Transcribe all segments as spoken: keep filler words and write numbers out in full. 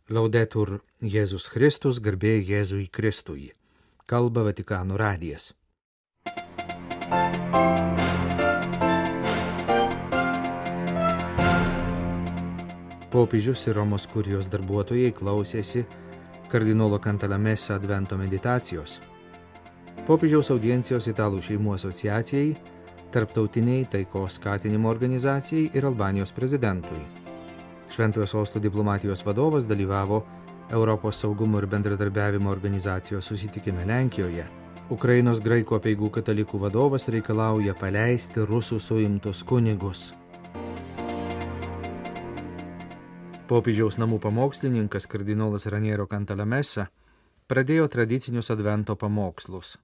Laudetur Jėzus Kristus, garbė Jėzui Kristui. Kalba Vatikano radijas. Popiežius ir Romos kurijos darbuotojai klausėsi kardinolo Cantalamessa advento meditacijos. Popiežiaus audiencijos Italų šeimų asociacijai, Tarptautiniai taikos skatinimo organizacijai ir Albanijos prezidentui. Šventojo sosto diplomatijos vadovas dalyvavo Europos saugumo ir bendradarbiavimo organizacijos susitikime Lenkijoje. Ukrainos graikų apeigų katalikų vadovas reikalauja paleisti rusų suimtus kunigus. Popiežiaus namų pamokslininkas kardinolas Raniero Cantalamessa pradėjo tradicinius advento pamokslus.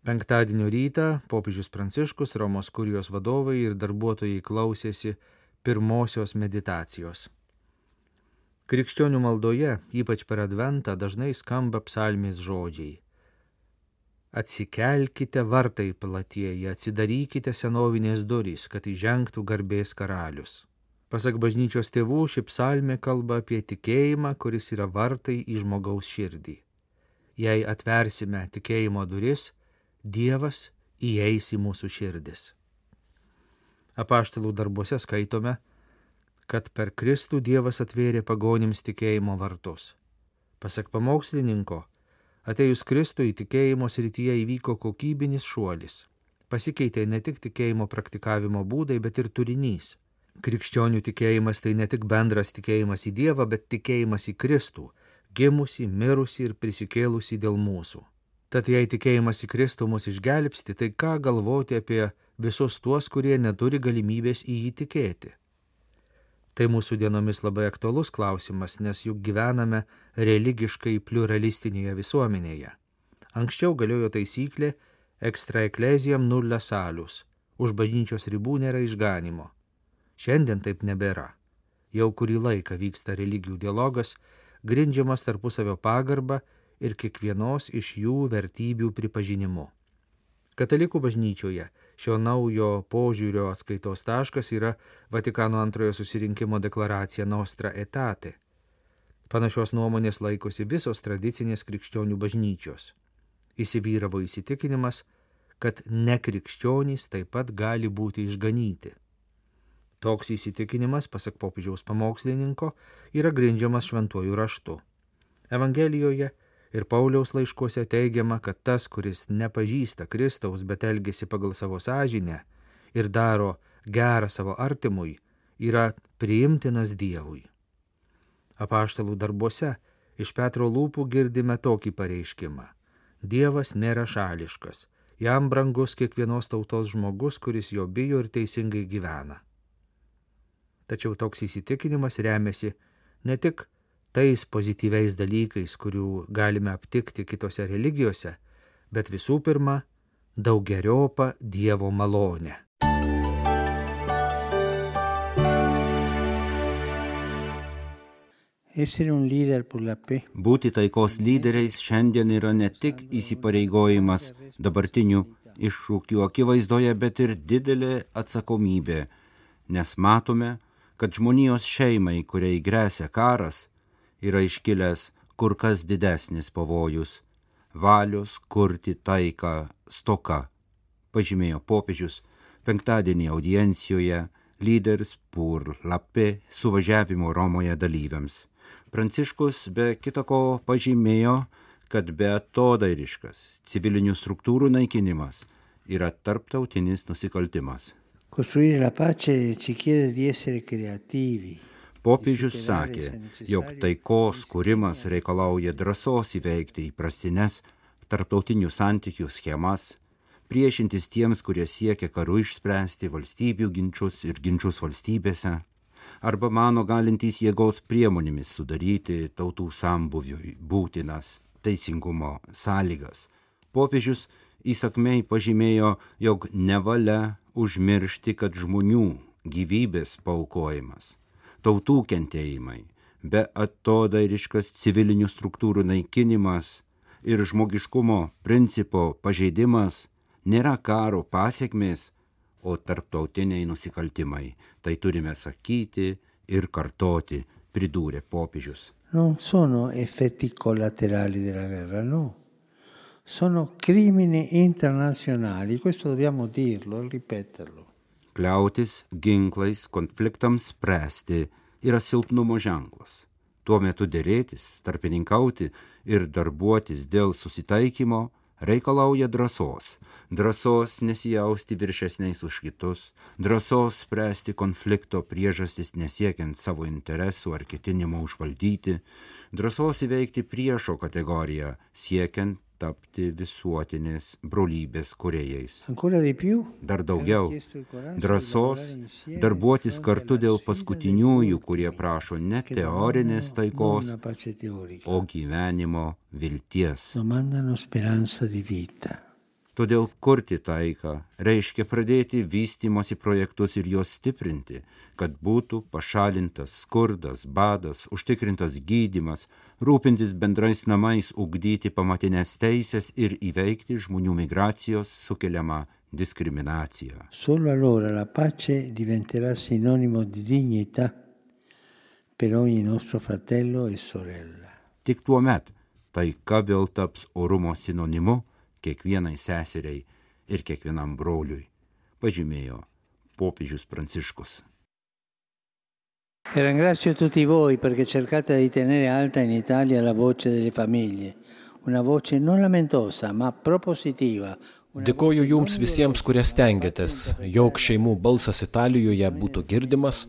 Penktadienio rytą popiežius Pranciškus, Romos kurijos vadovai ir darbuotojai klausėsi pirmosios meditacijos. Krikščionių maldoje, ypač per adventą, dažnai skamba psalmės žodžiai. Atsikelkite vartai platieji, atsidarykite senovinės durys, kad įžengtų garbės karalius. Pasak bažnyčios tėvų, ši psalmė kalba apie tikėjimą, kuris yra vartai į žmogaus širdį. Jei atversime tikėjimo duris, Dievas įeis į mūsų širdis. Apaštalų darbuose skaitome, kad per Kristų Dievas atvėrė pagonims tikėjimo vartus. Pasak pamokslininko, atėjus Kristui tikėjimo srityje įvyko kokybinis šuolis. Pasikeitė ne tik tikėjimo praktikavimo būdai, bet ir turinys. Krikščionių tikėjimas tai ne tik bendras tikėjimas į Dievą, bet tikėjimas į Kristų, gimusį, mirusį ir prisikėlusį dėl mūsų. Tad jei tikėjimas į Kristų mus išgelbsti, tai ką galvoti apie visus tuos, kurie neturi galimybės į jį tikėti? Tai mūsų dienomis labai aktualus klausimas, nes juk gyvename religiškai pliuralistinėje visuomenėje. Anksčiau galiojo taisyklė extra ecclesiam nulla salus, už bažnyčios ribų nėra išganimo. Šiandien taip nebėra. Jau kurį laiką vyksta religijų dialogas, grindžiamas tarpusavio pagarba ir kiekvienos iš jų vertybių pripažinimu. Katalikų bažnyčioje šio naujo požiūrio atskaitos taškas yra Vatikano antrojo susirinkimo deklaracija Nostra Aetate. Panašios nuomonės laikosi visos tradicinės krikščionių bažnyčios. Įsivyravo įsitikinimas, kad nekrikščionys taip pat gali būti išganyti. Toks įsitikinimas, pasak popiežiaus pamokslininko, yra grindžiamas šventuoju raštu. Evangelijoje ir Pauliaus laiškuose teigiama, kad tas, kuris nepažįsta Kristaus, bet elgesi pagal savo sąžinę ir daro gerą savo artimui, yra priimtinas Dievui. Apaštalų darbuose iš Petro lūpų girdime tokį pareiškimą. Dievas nėra šališkas, jam brangus kiekvienos tautos žmogus, kuris jo bijo ir teisingai gyvena. Tačiau toks įsitikinimas remiasi ne tik tais pozityviais dalykais, kurių galime aptikti kitose religijose, bet visų pirma, daugeriopą Dievo malonę. Būti taikos lyderiais šiandien yra ne tik įsipareigojimas dabartinių iššūkių akivaizdoje, bet ir didelė atsakomybė, nes matome, kad žmonijos šeimai, kuriai gresia karas, yra iškilęs kur kas didesnis pavojus – valios kurti taiką stoka, pažymėjo popiežius penktadienį audiencijoje Leaders pour la paix suvažiavimo Romoje dalyviams. Pranciškus be kitako pažymėjo, kad beatodairiškas civilinių struktūrų naikinimas yra tarptautinis nusikaltimas. Costruire la pace ci chiede di essere creativi. Popiežius sakė, jog taikos kūrimas reikalauja drąsos įveikti įprastines tarptautinių santykių schemas, priešintis tiems, kurie siekia karu išspręsti valstybių ginčius ir ginčius valstybėse, arba mano galintys jėgos priemonėmis sudaryti tautų sambuviui būtinas teisingumo sąlygas. Popiežius įsakmiai pažymėjo, jog nevalia užmiršti, kad žmonių gyvybės paaukojimas, tautų kentėjimai, beatodairiškas civilinių struktūrų naikinimas ir žmogiškumo principo pažeidimas nėra karo pasiekmės, o tarptautiniai nusikaltimai. Tai turime sakyti ir kartoti pridūrė popiežius. Non sono effetti collaterali della guerra, no. Sono crimini internazionali, questo dobbiamo dirlo, ripeterlo. Kliautis ginklais konfliktams spręsti yra silpnumo ženklas. Tuo metu dėrėtis, tarpininkauti ir darbuotis dėl susitaikymo reikalauja drąsos. Drąsos nesijausti viršesniais už kitus, drąsos spręsti konflikto priežastis nesiekiant savo interesų ar ketinimo užvaldyti, drąsos įveikti priešo kategoriją, siekiant tapti visuotinės brolybės kūrėjais. Dar daugiau, drąsos darbuotis kartu dėl paskutiniųjų, kurie prašo ne teorinės taikos, o gyvenimo vilties. Todėl kurti taiką reiškia pradėti vystymosi projektus ir juos stiprinti, kad būtų pašalintas skurdas, badas, užtikrintas gydymas, rūpintis bendrais namais, ugdyti pamatinės teisės ir įveikti žmonių migracijos sukeliamą diskriminaciją. Solo allora la pace diventerà sinonimo di dignità per ogni nostro fratello e sorella. Tik tuo met taika vėl taps orumo sinonimu kiekvienai seseriai ir kiekvienam broliui, pažymėjo popiežius Pranciškus. E ringrazio tutti voi perché cercate di tenere alta in Italia la voce delle famiglie, una voce non lamentosa, ma propositiva. Dėkoju jums visiems, kurie stengiatės, jog šeimų balsas Italijoje būtų girdimas,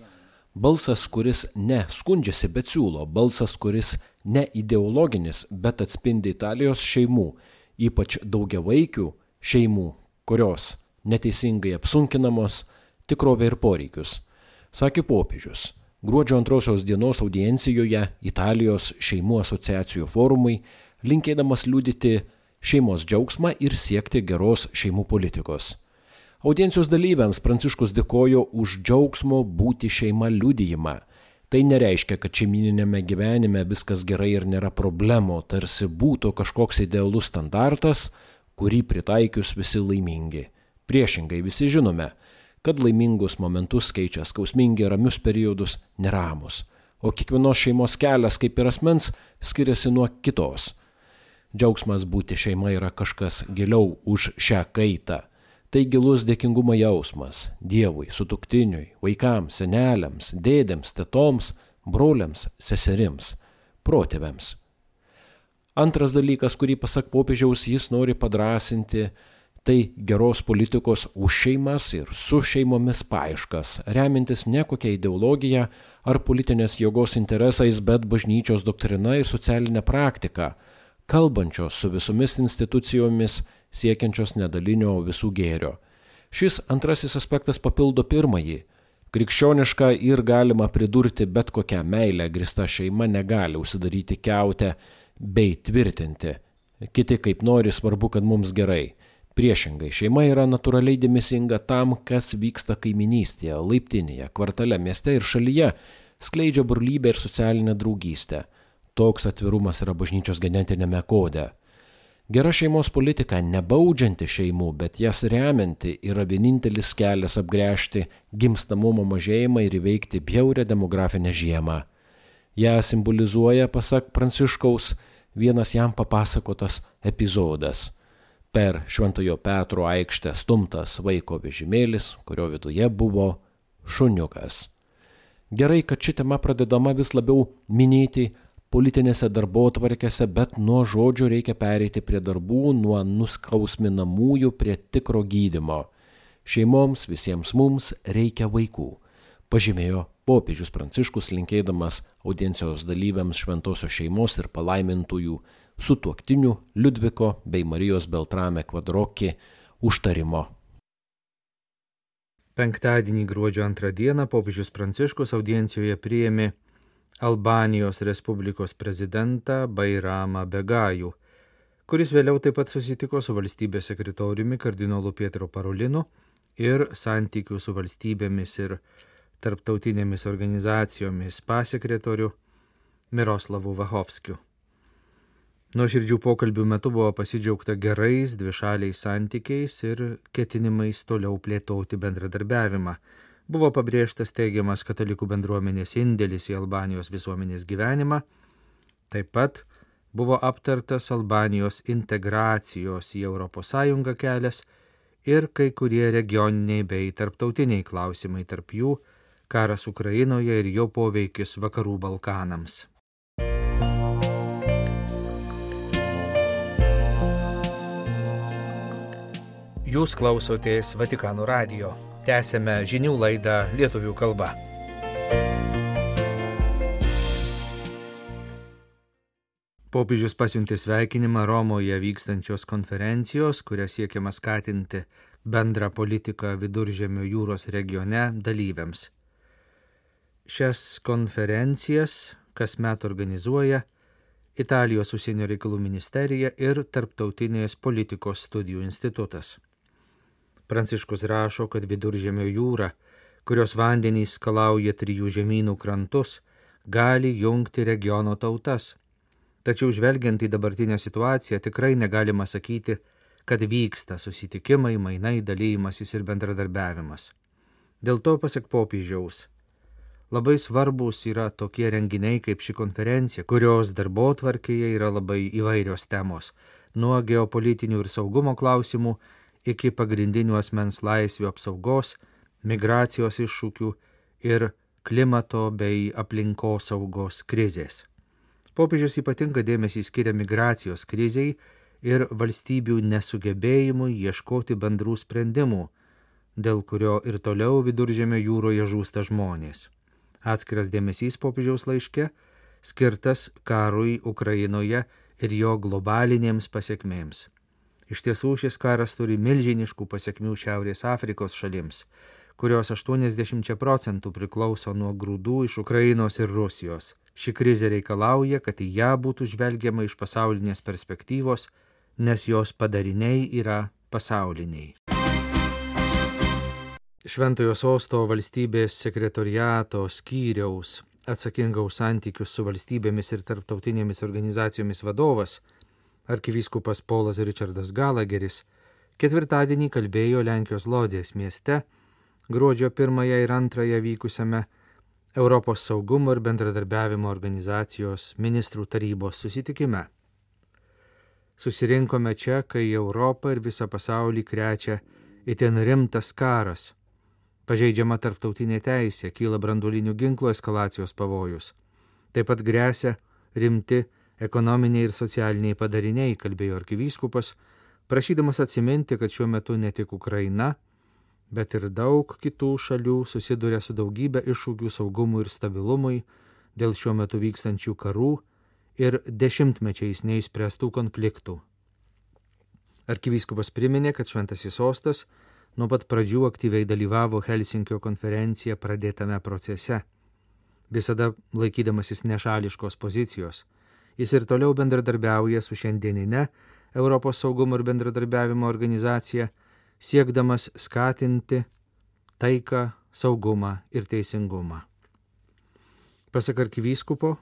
balsas, kuris ne skundžiasi, bet siūlo, balsas, kuris ne ideologinis, bet atspindi Italijos šeimų, ypač daugiavaikių šeimų, kurios neteisingai apsunkinamos, tikrovę ir poreikius. Sakė popiežius, gruodžio antrosios dienos audiencijoje Italijos šeimų asociacijų forumui, linkėdamas liudyti šeimos džiaugsmą ir siekti geros šeimų politikos. Audiencijos dalyviams Pranciškus dėkojo už džiaugsmo būti šeima liudijimą. Tai nereiškia, kad šeimininėme gyvenime viskas gerai ir nėra problemų, tarsi būtų kažkoks idealus standartas, kurį pritaikius visi laimingi. Priešingai visi žinome, kad laimingus momentus keičia skausmingi ramius periodus neramus, o kiekvienos šeimos kelias kaip ir asmens skiriasi nuo kitos. Džiaugsmas būti šeima yra kažkas giliau už šią kaitą. Tai gilus dėkingumo jausmas Dievui, sutuoktiniui, vaikams, seneliams, dėdėms, tetoms, broliams, seserims, protėviams. Antras dalykas, kurį pasak popiežiaus jis nori padrąsinti, tai geros politikos už šeimas ir su šeimomis paieškas, remintis ne kokia ideologija ar politinės jėgos interesais, bet bažnyčios doktrina ir socialinė praktika, kalbančios su visomis institucijomis, siekiančios nedalinio visų gėrio. Šis antrasis aspektas papildo pirmąjį. Krikščioniška ir galima pridurti bet kokią meilę grįsta šeima negali užsidaryti kiautę bei tvirtinti. Kiti kaip nori, svarbu, kad mums gerai. Priešingai, šeima yra natūraliai dėmesinga tam, kas vyksta kaiminystėje, laiptinėje, kvartale, mieste ir šalyje, skleidžia brolybę ir socialinę draugystę. Toks atvirumas yra bažnyčios genetinėme kode. Gera šeimos politika, nebaudžianti šeimų, bet jas remianti, yra vienintelis kelias apgręžti gimstamumo mažėjimą ir įveikti bjaurią demografinę žiemą. Ja simbolizuoja, pasak Pranciškaus, vienas jam papasakotas epizodas. Per Šventojo Petro aikštę stumtas vaiko vežimėlis, kurio viduje buvo šuniukas. Gerai, kad ši tema pradedama vis labiau minėti politinėse darbotvarkėse, bet nuo žodžio reikia pereiti prie darbų, nuo nuskausminamųjų prie tikro gydymo. Šeimoms, visiems mums reikia vaikų, pažymėjo popiežius Pranciškus, linkėdamas audiencijos dalyviams šventosios šeimos ir palaimintųjų sutuoktinių Liudviko bei Marijos Beltrame Kvadroki užtarimo. Penktadienį gruodžio antrą dieną popiežius Pranciškus audiencijoje priėmė Albanijos Respublikos prezidentą Bairamą Begajų, kuris vėliau taip pat susitiko su valstybės sekretoriumi kardinolu Pietro Parolinu ir santykių su valstybėmis ir tarptautinėmis organizacijomis pasekretoriu Miroslavu Vachovskiu. Nuoširdžių pokalbių metu buvo pasidžiaugta gerais dvišaliais santykiais ir ketinimais toliau plėtoti bendradarbiavimą, Buvo pabrėžtas teigiamas katalikų bendruomenės indėlis į Albanijos visuomenės gyvenimą. Taip pat buvo aptartas Albanijos integracijos į Europos Sąjungą kelias ir kai kurie regioniniai bei tarptautiniai klausimai, tarp jų karas Ukrainoje ir jo poveikis Vakarų Balkanams. Jūs klausotės Vatikano radijo. Tęsėme žinių laidą lietuvių kalba. Popiežius pasiuntė sveikinimą Romoje vykstančios konferencijos, kuria siekiama skatinti bendrą politiką Viduržemio jūros regione dalyviams. Šias konferencijas kasmet organizuoja Italijos užsienio reikalų ministerija ir Tarptautinės politikos studijų institutas. Pranciškus rašo, kad Viduržemio jūra, kurios vandenys skalauja trijų žemynų krantus, gali jungti regiono tautas. Tačiau žvelgiant į dabartinę situaciją, tikrai negalima sakyti, kad vyksta susitikimai, mainai, dalymasis ir bendradarbiavimas. Dėl to, pasak popiežiaus, labai svarbus yra tokie renginiai kaip ši konferencija, kurios darbotvarkėje yra labai įvairios temos, nuo geopolitinių ir saugumo klausimų iki pagrindinių asmens laisvių apsaugos, migracijos iššūkių ir klimato bei aplinkosaugos krizės. Popiežius ypatingą dėmesį skiria migracijos krizei ir valstybių nesugebėjimui ieškoti bendrų sprendimų, dėl kurio ir toliau Viduržemio jūroje žūsta žmonės. Atskiras dėmesys popiežiaus laiške skirtas karui Ukrainoje ir jo globalinėms pasiekmėms. Iš tiesų šis karas turi milžiniškų pasiekmių Šiaurės Afrikos šalims, kurios aštuoniasdešimt procentų priklauso nuo grūdų iš Ukrainos ir Rusijos. Ši krizė reikalauja, kad į ją būtų žvelgiama iš pasaulinės perspektyvos, nes jos padariniai yra pasauliniai. Šventojo sosto valstybės sekretoriato skyriaus atsakinga už santykius su valstybėmis ir tarptautinėmis organizacijomis vadovas, arkivyskupas Polas Richardas Galageris, ketvirtadienį kalbėjo Lenkijos Lodzės mieste gruodžio pirmąją ir antrąją vykusiame Europos saugumo ir bendradarbiavimo organizacijos ministrų tarybos susitikime. Susirinkome čia, kai Europą ir visą pasaulį krečia itin rimtas karas. Pažeidžiama tarptautinė teisė, kyla branduolinių ginklų eskalacijos pavojus. Taip pat gresia rimti ekonominiai ir socialiniai padariniai, kalbėjo arkivyskupas, prašydamas atsiminti, kad šiuo metu ne tik Ukraina, bet ir daug kitų šalių susiduria su daugybė iššūkių saugumui ir stabilumui dėl šiuo metu vykstančių karų ir dešimtmečiais neįspręstų konfliktų. Arkivyskupas priminė, kad Šventasis sostas nuo pat pradžių aktyviai dalyvavo Helsinkio konferenciją pradėtame procese, visada laikydamasis nešališkos pozicijos. Jis ir toliau bendradarbiauja su šiandieninė Europos saugumo ir bendradarbiavimo organizacija, siekdamas skatinti taiką, saugumą ir teisingumą. Pasak arkivyskupo,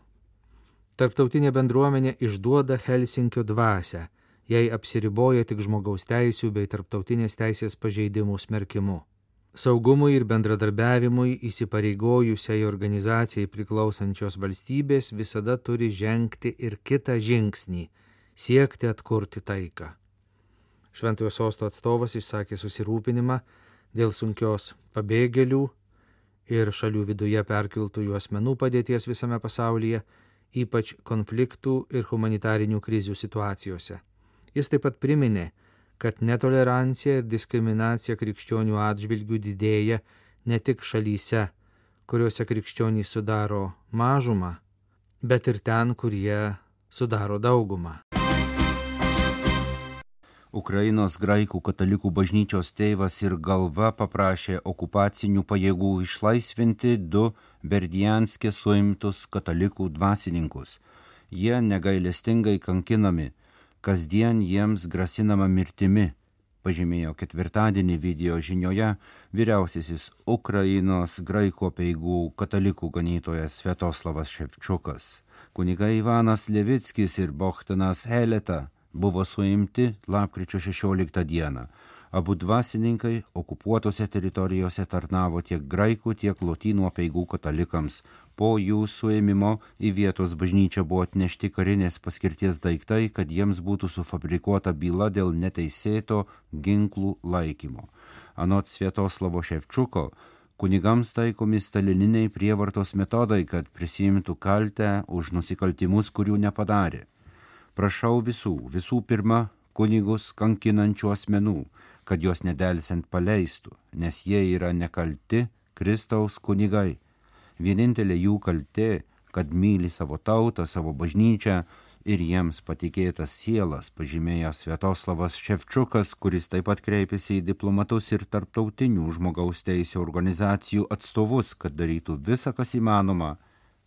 tarptautinė bendruomenė išduoda Helsinkio dvasią, jei apsiriboja tik žmogaus teisių bei tarptautinės teisės pažeidimų smerkimu. Saugumui ir bendradarbiavimui įsipareigojusiai organizacijai priklausančios valstybės visada turi žengti ir kitą žingsnį – siekti atkurti taiką. Šventojo sosto atstovas išsakė susirūpinimą dėl sunkios pabėgėlių ir šalių viduje perkeltųjų asmenų padėties visame pasaulyje, ypač konfliktų ir humanitarinių krizių situacijose. Jis taip pat priminė, kad netolerancija ir diskriminacija krikščionių atžvilgių didėja ne tik šalyse, kuriuose krikščionys sudaro mažumą, bet ir ten, kur jie sudaro daugumą. Ukrainos graikų katalikų bažnyčios tėvas ir galva paprašė okupacinių pajėgų išlaisvinti du Berdianske suimtus katalikų dvasininkus. Jie negailestingai kankinami, kasdien jiems grasinama mirtimi, pažymėjo ketvirtadienį video žinioje vyriausiasis Ukrainos graikų apeigų katalikų ganytojas Sviatoslavas Ševčiukas. Kunigai Ivanas Levickis ir Bohdanas Heleta buvo suimti lapkričio šešioliktą dieną. Abu dvasininkai okupuotose teritorijose tarnavo tiek graikų, tiek lotynų apeigų katalikams. Po jų suėmimo į vietos bažnyčią buvo atnešti karinės paskirties daiktai, kad jiems būtų sufabrikuota byla dėl neteisėto ginklų laikymo. Anot Sviatoslavo Ševčiuko, kunigams taikomi stalininiai prievartos metodai, kad prisiimtų kaltę už nusikaltimus, kurių nepadarė. Prašau visų, visų pirma, kunigus kankinančių asmenų, kad juos nedelsiant paleistų, nes jie yra nekalti Kristaus kunigai. Vienintelė jų kaltė, kad myli savo tautą, savo bažnyčią ir jiems patikėtas sielas, pažymėjo Sviatoslavas Ševčiukas, kuris taip pat kreipėsi į diplomatus ir tarptautinių žmogaus teisių organizacijų atstovus, kad darytų visą, kas įmanoma,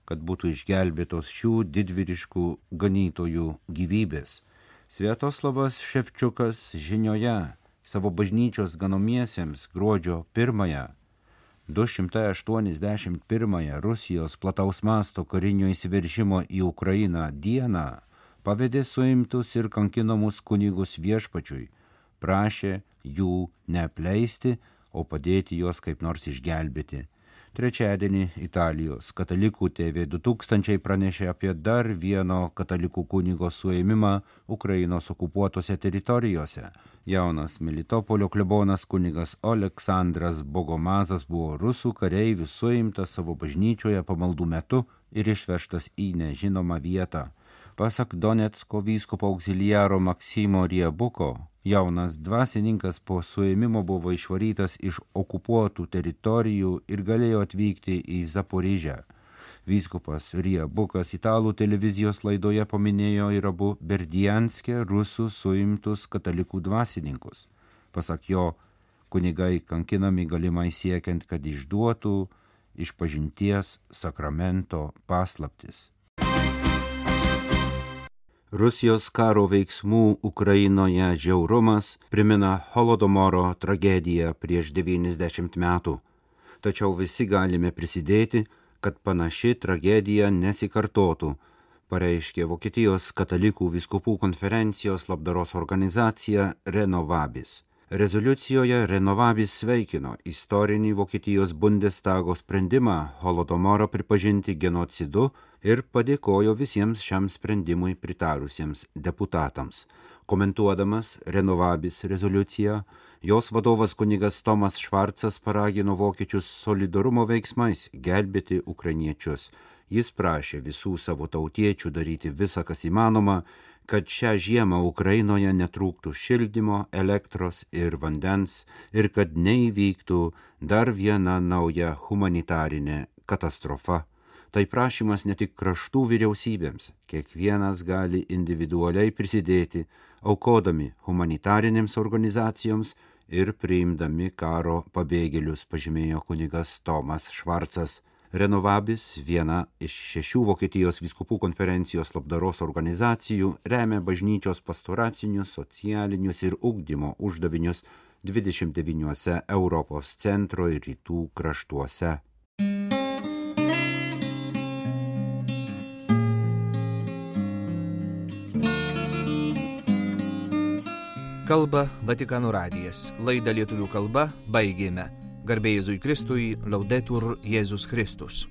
kad būtų išgelbėtos šių didvyriškų ganytojų gyvybės. Sviatoslavas Ševčiukas žinioje savo bažnyčios ganomiesiems gruodžio pirmąją, du šimtai aštuoniasdešimt pirmąją Rusijos plataus masto karinio įsiveržimo į Ukrainą dieną pavedė suimtus ir kankinamus kunigus viešpačiui, prašė jų neapleisti, o padėti juos kaip nors išgelbėti. Trečiadienį Italijos katalikų T V du tūkstančiai pranešė apie dar vieno katalikų kunigo suėmimą Ukrainos okupuotose teritorijose. Jaunas Melitopolio klebonas kunigas Oleksandras Bogomazas buvo rusų kareivių suimtas savo bažnyčioje pamaldų metu ir išvežtas į nežinomą vietą. Pasak Donecko vyskupo auxiliaro Maksimo Riebuko, jaunas dvasininkas po suėmimo buvo išvarytas iš okupuotų teritorijų ir galėjo atvykti į Zaporižę. Vyskupas Riebukas italų televizijos laidoje paminėjo ir abu Berdianske rusų suimtus katalikų dvasininkus. Pasak jo, kunigai kankinami galimai siekiant, kad išduotų išpažinties sakramento paslaptis. Rusijos karo veiksmų Ukrainoje žiaurumas primena Holodomoro tragediją prieš devyniasdešimt metų. Tačiau visi galime prisidėti, kad panaši tragedija nesikartotų, pareiškė Vokietijos katalikų vyskupų konferencijos labdaros organizacija Renovabis. Rezoliucijoje Renovabis sveikino istorinį Vokietijos Bundestago sprendimą Holodomorą pripažinti genocidu ir padėkojo visiems šiam sprendimui pritarusiems deputatams. Komentuodamas Renovabis rezoliuciją, jos vadovas kunigas Tomas Švarcas paragino vokiečius solidarumo veiksmais gelbėti ukrainiečius. Jis prašė visų savo tautiečių daryti visą, kas įmanoma, kad šią žiemą Ukrainoje netrūktų šildymo, elektros ir vandens ir kad neįvyktų dar viena nauja humanitarinė katastrofa. Tai prašymas ne tik kraštų vyriausybėms, kiekvienas gali individualiai prisidėti, aukodami humanitarinėms organizacijoms ir priimdami karo pabėgėlius, pažymėjo kunigas Tomas Švarcas. Renovabis, viena iš šešių Vokietijos vyskupų konferencijos labdaros organizacijų, remia bažnyčios pastoracinius, socialinius ir ugdymo uždavinius dvidešimt devyniuose Europos centro ir rytų kraštuose. Kalba Vatikano radijas. Laidą lietuvių kalba baigėme. Garbė Jėzui Kristui, Laudetur Jėzus Kristus.